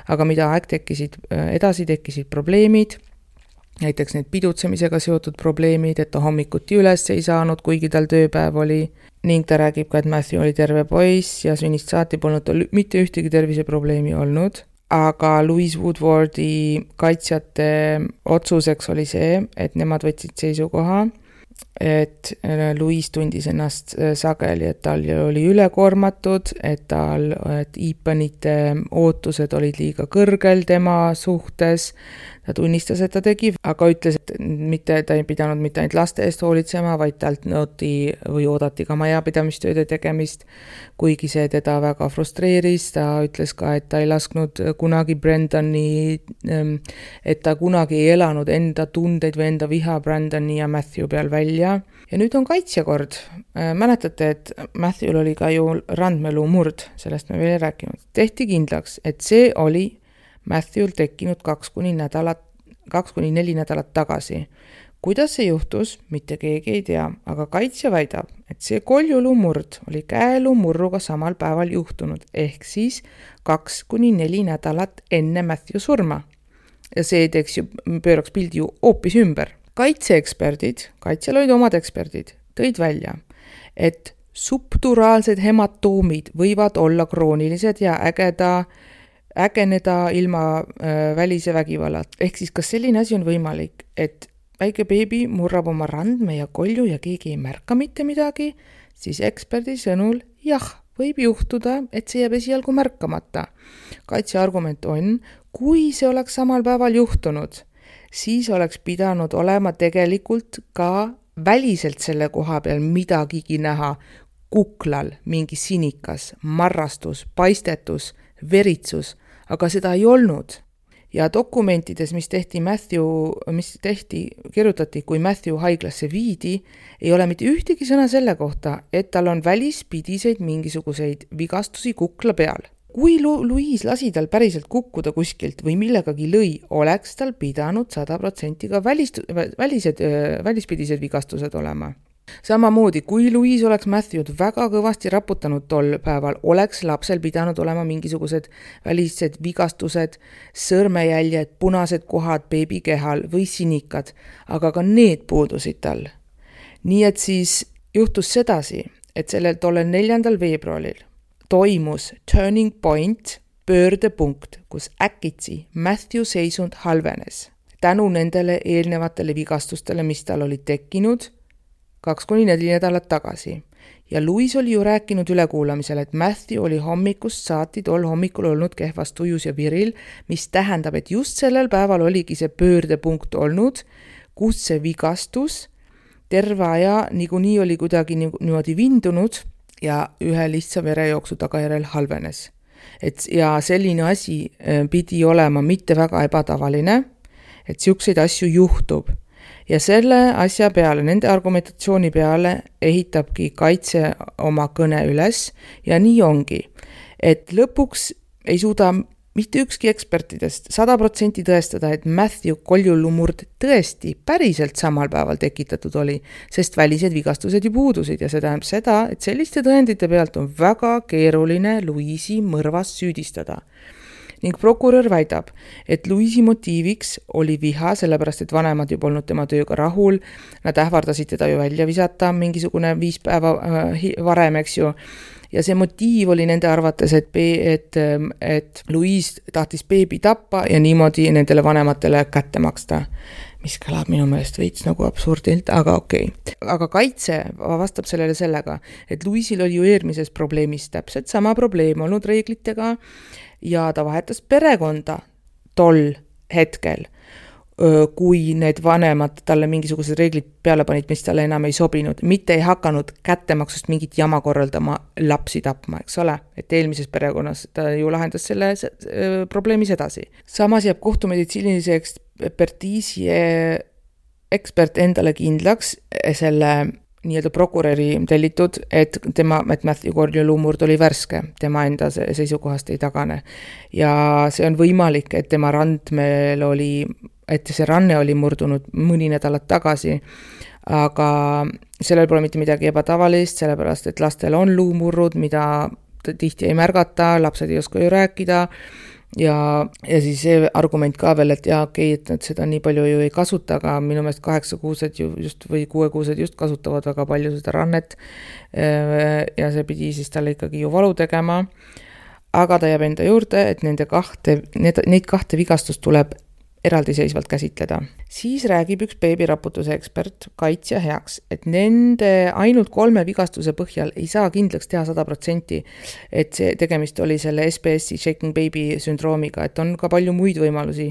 aga mida aeg tekkisid, edasi tekkisid probleemid, näiteks need pidutsemisega seotud probleemid, et ta hommikuti üles ei saanud, kuigi tal tööpäev oli. Ning ta räägib ka, et Matthew oli terve poiss ja sünnist saati polnud tal mitte ühtegi terviseprobleemi olnud. Aga Louise Woodwardi kaitsjate otsuseks oli see, et nemad võtsid seisukoha, et Louise tundis ennast sageli, et tal oli ülekoormatud, et tal, et Ethanite ootused olid liiga kõrgel tema suhtes. Ta tunnistas, et ta tegi, aga ütles, et mitte, ta ei pidanud mitte ainult laste eest hoolitsema, vaid talt nõuti või oodati ka majapidamistööde tegemist, kuigi see teda väga frustreeris. Ta ütles ka, et ta ei lasknud kunagi Brendani, et ta kunagi ei elanud enda tundeid või enda viha Brendani ja Matthew peal välja. Ja nüüd on kaitsjakord. Mäletate, et Matthew'l oli ka ju randmeluu murd, sellest me veel ei rääkinud. Tehti kindlaks, et see oli Matthew'l tekkinud kaks kuni nädalat, kaks kuni neli nädalat tagasi. Kuidas see juhtus, mitte keegi ei tea, aga kaitsja väidab, et see koljuluu murd oli käeluu murruga samal päeval juhtunud, ehk siis kaks kuni neli nädalat enne Matthew surma. Ja see teeks ju, pööraks pildi ju hoopis ümber. Kaitseeksperdid, kaitsjal olid omad eksperdid, tõid välja, et subduraalsed hematoomid võivad olla kroonilised ja ägeda ägeneda ilma äh, välise vägivallat. Ehk siis, kas selline asi on võimalik, et väike beebi murrab oma randme ja kolju ja keegi ei märka mitte midagi, siis eksperdi sõnul jah, võib juhtuda, et see jääb esialgu märkamata. Kaitse argument on, kui see oleks samal päeval juhtunud, siis oleks pidanud olema tegelikult ka väliselt selle koha peal midagigi näha, kuklal mingi sinikas, marrastus, paistetus, veritsus, aga seda ei olnud. Ja dokumentides, mis tehti Matthew, mis tehti, kirjutati, kui Matthew haiglasse viidi, ei ole mitte ühtegi sõna selle kohta, et tal on välispidiseid mingisuguseid vigastusi kukla peal. Kui Louise lasi tal päriselt kukkuda kuskilt või millegagi lõi, oleks tal pidanud sada protsenti ka välist, välised, välispidised vigastused olema. Samamoodi, kui Louise oleks Matthewd väga kõvasti raputanud tol päeval, oleks lapsel pidanud olema mingisugused välised vigastused, sõrmejäljed, punased kohad beebi kehal või sinikad, aga ka need puudusid tal. Nii et siis juhtus sedasi, et sellel tollel neljandal veebruaril toimus turning point, pöördepunkt, kus äkitsi Matthew seisund halvenes. Tänu nendele eelnevatele vigastustele, mis tal oli tekkinud, kaks kuni neli nädalat tagasi. Ja Louise oli ju rääkinud ülekuulamisel, et Matthew oli hommikust saati tol hommikul olnud kehvas tujus ja viril, mis tähendab, et just sellel päeval oligi see pöördepunkt olnud, kus see vigastus terve aja niikuinii oli kuidagi niimoodi vindunud ja ühe lihtsa verejooksu tagajärjel halvenes. Et, ja selline asi pidi olema mitte väga ebatavaline, et siukseid asju juhtub. Ja selle asja peale, nende argumentatsiooni peale ehitabki kaitse oma kõne üles ja nii ongi, et lõpuks ei suuda mitte ükski ekspertidest sada protsenti tõestada, et Matthew koljulumurd tõesti päriselt samal päeval tekitatud oli, sest välised vigastused ju puudusid ja see tähendab seda, et selliste tõendite pealt on väga keeruline Louise'i mõrvas süüdistada. Ning prokurör väidab, et Louise'i motiiviks oli viha, sellepärast et vanemad ju polnud tema tööga rahul, nad ähvardasid teda ju välja visata mingisugune viis päeva varem, eks ju. Ja see motiiv oli nende arvates, et, et, et Louise tahtis beebi tappa ja niimoodi nendele vanematele kätte maksta. Mis kõlab minu meelest veits nagu absurdilt, aga okei. Okay. Aga kaitse vastab sellele sellega, et Louise'il oli ju eelmises probleemis täpselt sama probleem olnud reeglitega ja ta vahetas perekonda tol hetkel, kui need vanemad talle mingisugused reeglid peale panid, mis talle enam ei sobinud, mitte ei hakanud kättemaksust mingit jama korraldama lapsi tapma, eks ole, et eelmises perekonnas ta ju lahendas selle probleemis edasi. Samas jääb kohtumeditsiinilise ekspertiisi ekspert endale kindlaks selle nii-öelda prokuröri tellitud, et tema, et Matthew koljulumurd oli värske, tema enda seisukohast ei tagane. Ja see on võimalik, et tema randmel oli, et see ranne oli murdunud mõni nädalat tagasi, aga sellel pole mitte midagi ebatavalist, sellepärast, et lastel on luumurrud, mida tihti ei märgata, lapsed ei oska ju rääkida, ja, ja siis see argument ka veel, et jah, okei, et nad seda nii palju ju ei kasuta, aga minu meelest kaheksakuused ju just või kuuekuused just kasutavad väga palju seda rannet ja see pidi siis talle ikkagi ju valu tegema, aga ta jääb enda juurde, et nende kahte, need, neid kahte vigastust tuleb eraldiseisvalt käsitleda. Siis räägib üks beebiraputuse ekspert kaitsja heaks, et nende ainult kolme vigastuse põhjal ei saa kindlaks teha sada protsenti, et see tegemist oli selle S B S-i shaking baby sündroomiga, et on ka palju muid võimalusi,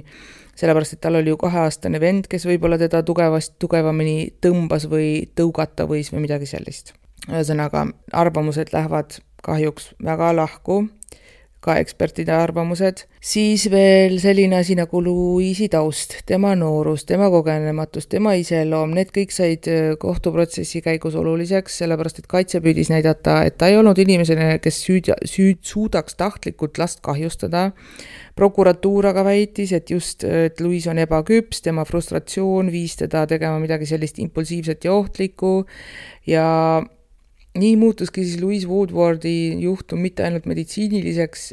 sellepärast, et tal oli ju kaheaastane vend, kes võib-olla teda tugevast, tugevamini tõmbas või tõugata võis või midagi sellist. Ühesõnaga, arvamused lähevad kahjuks väga lahku, ka ekspertide arvamused. Siis veel selline asi nagu Louise'i taust, tema noorus, tema kogenematus, tema iseloom, need kõik said kohtuprotsessi käigus oluliseks, sellepärast, et kaitse püüdis näidata, et ta ei olnud inimesena, kes süüd, süüd suudaks tahtlikult last kahjustada. Prokuratuur aga väitis, et just, et Louise on ebaküps, tema frustratsioon viis teda tegema midagi sellist impulsiivset ja ohtlikku ja nii muutuski siis Louise Woodwardi juhtum mitte ainult meditsiiniliseks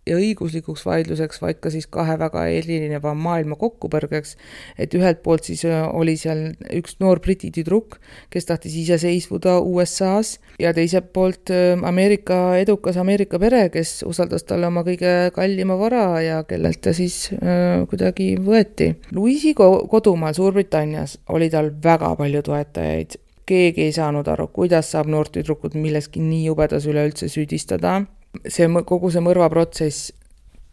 ja õiguslikuks vaidluseks, vaid ka siis kahe väga erineva maailma kokkupõrgeks, et ühelt poolt siis oli seal üks noor briti tüdruk, kes tahtis ise seisvuda U S A-s ja teiselt poolt Ameerika, edukas Ameerika pere, kes usaldas talle oma kõige kallima vara ja kellelt ta siis äh, kuidagi võeti. Louise'i kodumaal Suurbritannias oli tal väga palju toetajaid. Keegi ei saanud aru, kuidas saab noort tüdrukut milleski nii jubedas üleüldse süüdistada. See, kogu see mõrvaprotsess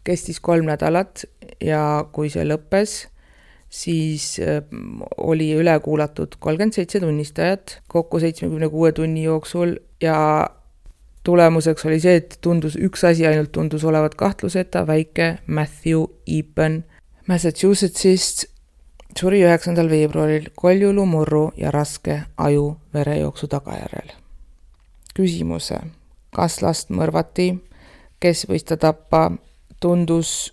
kestis kolm nädalat ja kui see lõppes, siis oli üle kuulatud kolmkümmend seitse tunnistajat kokku seitsmekümne kuue tunni jooksul ja tulemuseks oli see, et tundus, üks asi ainult tundus olevat kahtluseta, väike Matthew Eapen Massachusettsist suri üheksandal veebruaril koljulumurru ja raske aju verejooksu tagajärjel. Küsimuse, kas last mõrvati, kes võis ta tappa, tundus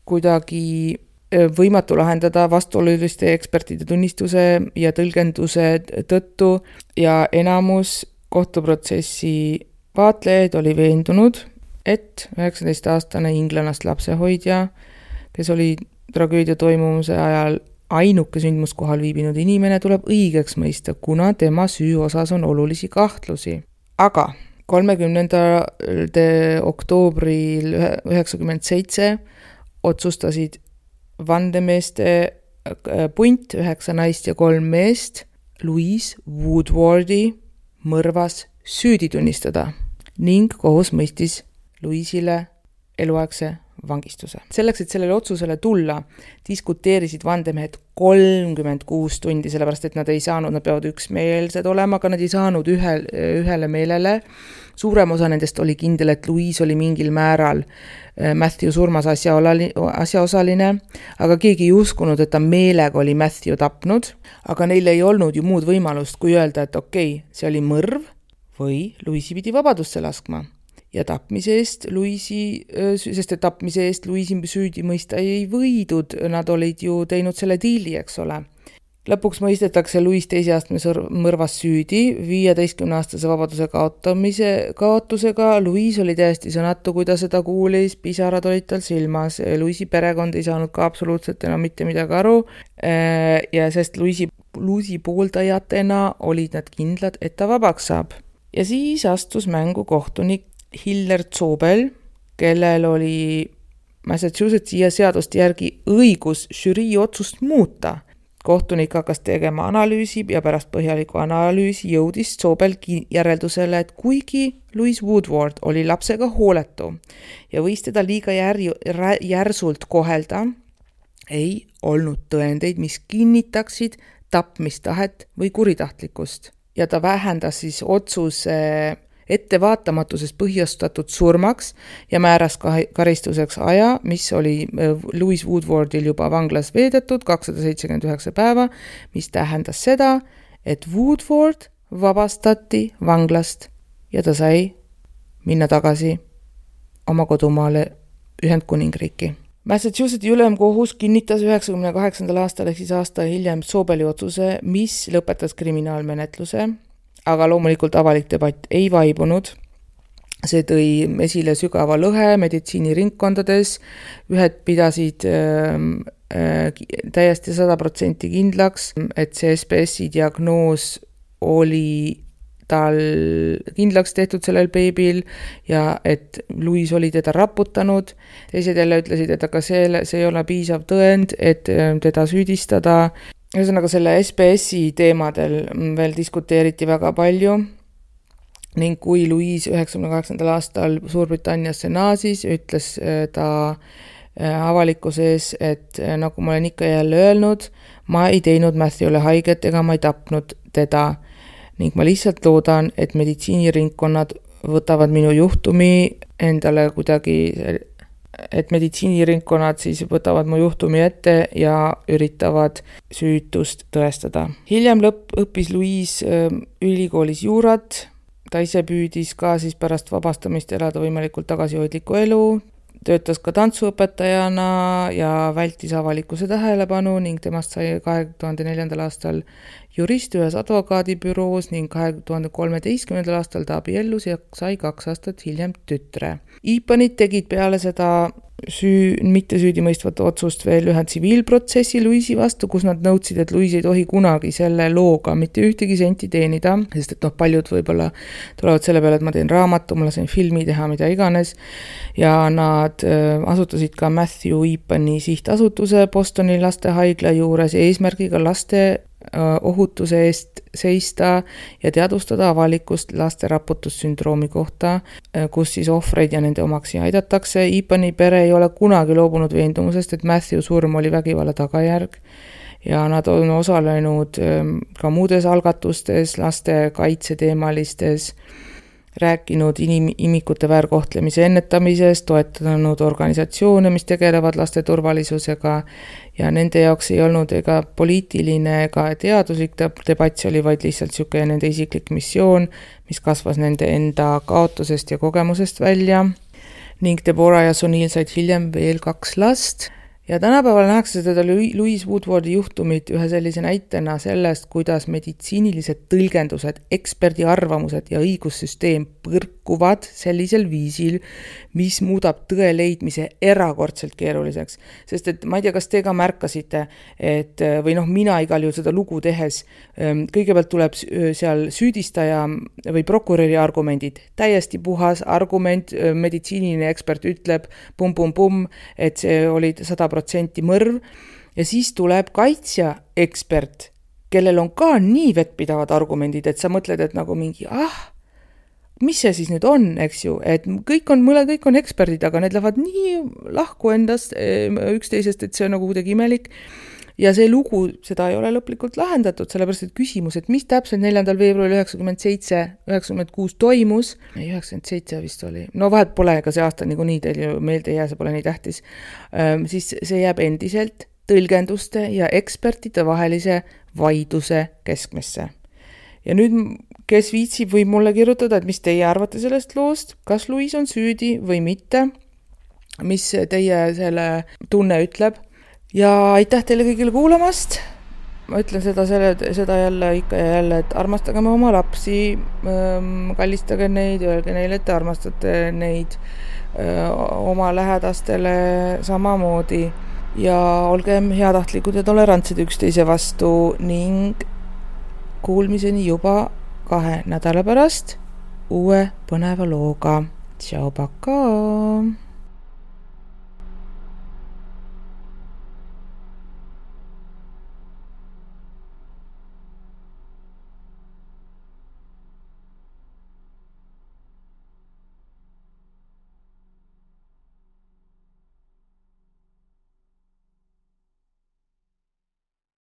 kuidagi võimatu lahendada vastuoluliste ekspertide tunnistuse ja tõlgenduse tõttu ja enamus kohtuprotsessi vaatlejaid oli veendunud, et üheksateist-aastane inglanast lapsehoidja, kes oli tragöödia toimumuse ajal ainuke sündmuskohal viibinud inimene, tuleb õigeks mõista, kuna tema süü osas on olulisi kahtlusi. Aga kolmekümnendal oktoobril üheksakümmend seitse otsustasid vandemeeste punt, üheksa naist ja kolm meest, Louise Woodwardi mõrvas süüdi tunnistada ning kohus mõistis Louise'ile eluaegse vangistuse. Selleks, et sellele otsusele tulla, diskuteerisid vandemehed kolmkümmend kuus tundi, sellepärast et nad ei saanud, nad peavad üksmeelsed olema, aga nad ei saanud ühe, ühele meelele. Suurem osa nendest oli kindel, et Louise oli mingil määral Matthew surmas asjaosaline, aga keegi ei uskunud, et ta meelega oli Matthew tapnud, aga neil ei olnud ju muud võimalust, kui öelda, et okei, okay, see oli mõrv või Louise'i pidi vabadusse laskma. Ja tapmise eest Louise'i, sest et tapmise eest Louise'i süüdi mõista ei võidud, nad olid ju teinud selle diili, eks ole. Lõpuks mõistetakse Louise teise astme mõrvas süüdi, viieteistkümne-aastase vabaduse kaotamise kaotusega. Louise oli täiesti sõnatu, kui ta seda kuulis, pisarad olid tal silmas. Louise'i perekond ei saanud ka absoluutselt enam mitte midagi aru, ja sest Louise'i, Louise'i pooldajatena olid nad kindlad, et ta vabaks saab. Ja siis astus mängu kohtunik Hiller Zobel, kellel oli Massachusettsi ja seaduste järgi õigus žürii otsust muuta. Kohtunik hakkas tegema analüüsi ja pärast põhjaliku analüüsi jõudis Zobel järeldusele, et kuigi Louise Woodward oli lapsega hooletu ja võis teda liiga jär, järsult kohelda, ei olnud tõendeid, mis kinnitaksid tapmistahet või kuritahtlikkust. Ja ta vähendas siis otsuse ettevaatamatusest põhjustatud surmaks ja määras karistuseks aja, mis oli Louise Woodwardil juba vanglas veedetud kakssada seitsekümmend üheksa päeva, mis tähendas seda, et Woodward vabastati vanglast ja ta sai minna tagasi oma kodumaale Ühendkuningriiki. Massachusettsi ülemkohus kinnitas üheksakümne kaheksandal aastal ehk siis aasta hiljem Zobeli otsuse, mis lõpetas kriminaalmenetluse, aga loomulikult avalik debatt ei vaibunud. See tõi esile sügava lõhe meditsiiniringkondades, ühed pidasid äh, äh, täiesti sada protsenti kindlaks, et see S B S-i diagnoos oli tal kindlaks tehtud sellel beebil ja et Louise oli teda raputanud. Teised jälle ütlesid, et aga see, see ei ole piisav tõend, et teda süüdistada. Ühesõnaga selle S B S-i teemadel veel diskuteeriti väga palju ning kui Louise üheksakümne kaheksandal aastal Suurbritanniasse naasis, ütles ta avalikkuse ees, et nagu ma olen ikka jälle öelnud, ma ei teinud Matthewle haiget ega ma ei tapnud teda ning ma lihtsalt loodan, et meditsiiniringkonnad võtavad minu juhtumi endale kuidagi, et meditsiiniringkonnad siis võtavad mu juhtumi ette ja üritavad süütust tõestada. Hiljem lõpp õppis Louise ülikoolis juurat, ta ise püüdis ka siis pärast vabastamist elada võimalikult tagasihoidlikku elu, töötas ka tantsuõpetajana ja vältis avalikkuse tähelepanu ning temast sai kahe tuhande neljandal aastal jurist ühes advokaadibüroos ning kahe tuhande kolmeteistkümnendal aastal ta abiellus ja sai kaks aastat hiljem tütre. Eapenid tegid peale seda süü, mitte süüdimõistvat otsust veel ühe tsiviilprotsessi Louise'i vastu, kus nad nõudsid, et Louise ei tohi kunagi selle looga mitte ühtegi senti teenida, sest et noh, paljud võib-olla tulevad selle peale, et ma teen raamatu, ma lasen filmi teha, mida iganes, ja nad äh, asutasid ka Matthew Eapeni sihtasutuse Bostoni lastehaigla juures eesmärgiga laste ohutuse eest seista ja teadvustada avalikkust laste raputussündroomi kohta, kus siis ohvreid ja nende omaksi aidatakse. Ipani pere ei ole kunagi loobunud veendumusest, et Matthew surm oli vägivalla tagajärg ja nad on osalenud ka muudes algatustes, laste kaitseteemalistes, rääkinud inim- imikute väärkohtlemise ennetamisest, toetanud organisatsioone, mis tegelevad laste turvalisusega ja nende jaoks ei olnud ega poliitiline ega teaduslik debatt, see oli vaid lihtsalt niisugune nende isiklik missioon, mis kasvas nende enda kaotusest ja kogemusest välja ning Deborah ja Sunil said hiljem veel kaks last. Ja tänapäeval nähakse seda Louise Woodwardi juhtumit ühe sellise näitena sellest, kuidas meditsiinilised tõlgendused, eksperdi arvamused ja õigussüsteem põrkuvad sellisel viisil, mis muudab tõe leidmise erakordselt keeruliseks. Sest et ma ei tea, kas te ka märkasite, et, või noh, mina igal juhul seda lugu tehes, kõigepealt tuleb seal süüdistaja või prokuröri argumendid, täiesti puhas argument, meditsiiniline ekspert ütleb pum-pum-pum, et see oli sada protsenti mõrv ja siis tuleb kaitsja ekspert, kellel on ka nii vettpidavad argumendid, et sa mõtled, et nagu mingi, ah, mis see siis nüüd on, eks ju, et kõik on, mõle kõik on eksperdid, aga need lähevad nii lahku endast üksteisest, et see on nagu kuidagi imelik. Ja see lugu, seda ei ole lõplikult lahendatud, sellepärast et küsimus, et mis täpselt neljandal veebruaril üheksakümmend seitse üheksakümmend kuus toimus, üheksakümmend seitse vist oli, no vahet pole, ega see aasta nii, nii teil ju meelde ei jää, see pole nii tähtis, siis see jääb endiselt tõlgenduste ja ekspertide vahelise vaiduse keskmesse. Ja nüüd, kes viitsib, võib mulle kirjutada, et mis teie arvate sellest loost, kas Louise on süüdi või mitte, mis teie selle tunne ütleb. Ja aitäh teile kõigile kuulamast. Ma ütlen seda, selle, seda jälle ikka ja jälle, et armastagem oma lapsi, kallistage neid, öelge neile, et te armastate neid oma lähedastele samamoodi ja olgem heatahtlikud ja tolerantsed üksteise vastu ning kuulmiseni juba kahe nädala pärast uue põneva looga. Tšau, paka!